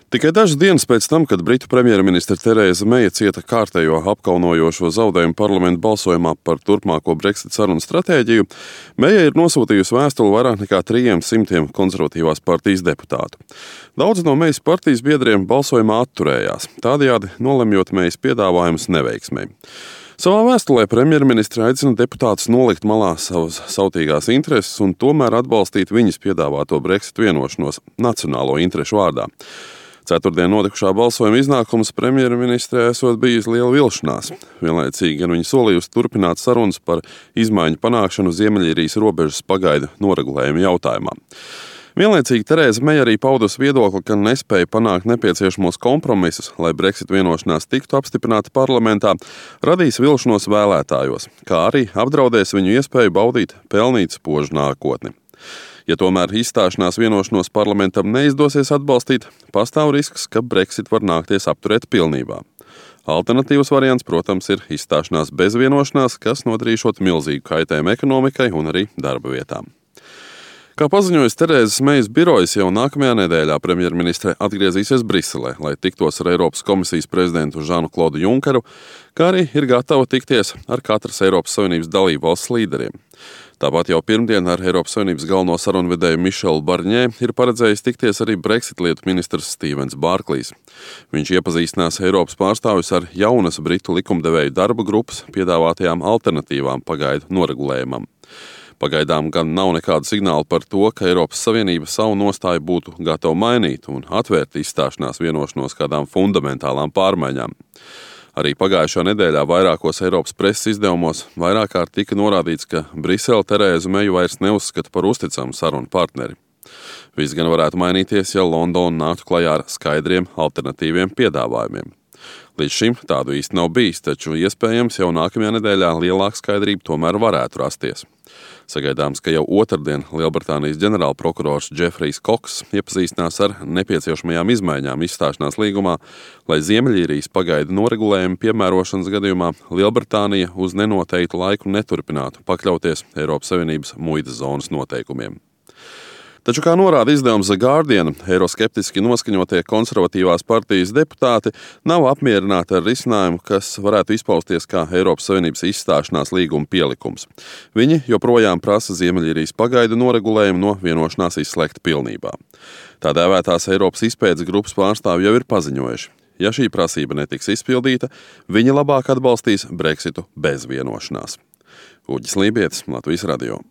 Tikai dažas dienas pēc tam, kad britu premjerministre Terēza Meija cieta kārtējo apkaunojošo zaudējumu parlamenta balsojumā par turpmāko Brexit sarunu stratēģiju, Meija ir nosūtījusi vēstuli vairāk nekā 300 konservatīvās partijas deputātu. Daudzi no Meijas partijas biedriem balsojumā atturējās, tādējādi nolemjot Meijas piedāvājumus neveiksmei. Savā vēstulē premjerministre aicina deputātus nolikt malā savas sautīgās intereses un tomēr atbalstīt viņas piedāvāto Brexit vienošanos nacionālo interešu vārdā. Ceturtdien notikušā balsojuma iznākums premjerministrē esot bijis liela vilšanās. Vienlaicīgi gan viņa solījusi turpināt sarunas par izmaiņu panākšanu Ziemeļīrijas robežas pagaidu noregulējuma jautājumā. Vienlaicīgi Terēza Meija arī paudusi viedokli, ka nespēja panākt nepieciešamos kompromisus, lai Brexit vienošanās tiktu apstiprināta parlamentā, radīs vilšanos vēlētājos, kā arī apdraudēs viņu iespēju baudīt pelnīt spožu nākotni. Ja tomēr izstāšanās vienošanos parlamentam neizdosies atbalstīt, pastāv risks, ka Brexit var nākties apturēt pilnībā. Alternatīvs variants, protams, ir izstāšanās bez vienošanās, kas nodarīšot milzīgu kaitējumu ekonomikai un arī darba vietām. Kā paziņojas Terēzas Meijas birojas, jau nākamajā nedēļā premjerministre atgriezīsies Briselē, lai tiktos ar Eiropas komisijas prezidentu Žanu-Klodu Junkeru, kā arī ir gatava tikties ar katras Eiropas Savienības dalību valsts līderiem. Tāpat jau pirmdien ar Eiropas Savienības galveno sarunvedēju Mišelu Barņē ir paredzējis tikties arī Brexit lietu ministrs Stevens Barklīs. Viņš iepazīstinās Eiropas pārstāvjus ar jaunas britu likumdevēju darba grupas piedāvātajām alternatīvām pagaidu noregulējumam. Pagaidām gan nav nekādu signālu par to, ka Eiropas Savienība savu nostāju būtu gatava mainīt un atvērt izstāšanās vienošanos kādām fundamentālām pārmaiņām. Arī pagājušā nedēļā vairākos Eiropas preses izdevumos vairāk kārt tika norādīts, ka Brisele Terēzu Meiju vairs neuzskata par uzticamu sarunu partneri. Viss gan varētu mainīties, ja Londona nāktu klajā ar skaidriem alternatīviem piedāvājumiem. Līdz šim tādu īsti nav bijis, taču iespējams jau nākamajā nedēļā lielāka skaidrība tomēr varētu rasties. Sagaidāms, ka jau otrdien Lielbritānijas ģenerālprokurors Džefrijs Koks iepazīstinās ar nepieciešamajām izmaiņām izstāšanās līgumā, lai Ziemeļīrijas pagaidu noregulējumu piemērošanas gadījumā Lielbritānija uz nenoteiktu laiku neturpinātu pakļauties Eiropas Savienības muitas zonas noteikumiem. Taču, kā norāda izdevums The Guardian, eiroskeptiski noskaņotie konservatīvās partijas deputāti nav apmierināti ar risinājumu, kas varētu izpausties kā Eiropas Savienības izstāšanās līguma pielikums. Viņi joprojām prasa Ziemeļīrijas pagaidu noregulējumu no vienošanās izslēgt pilnībā. Tā dēvētās Eiropas izpētes grupas pārstāvji jau ir paziņojuši. Ja šī prasība netiks izpildīta, viņi labāk atbalstīs Brexitu bez vienošanās. Uģis Lībietis, Latvijas radio.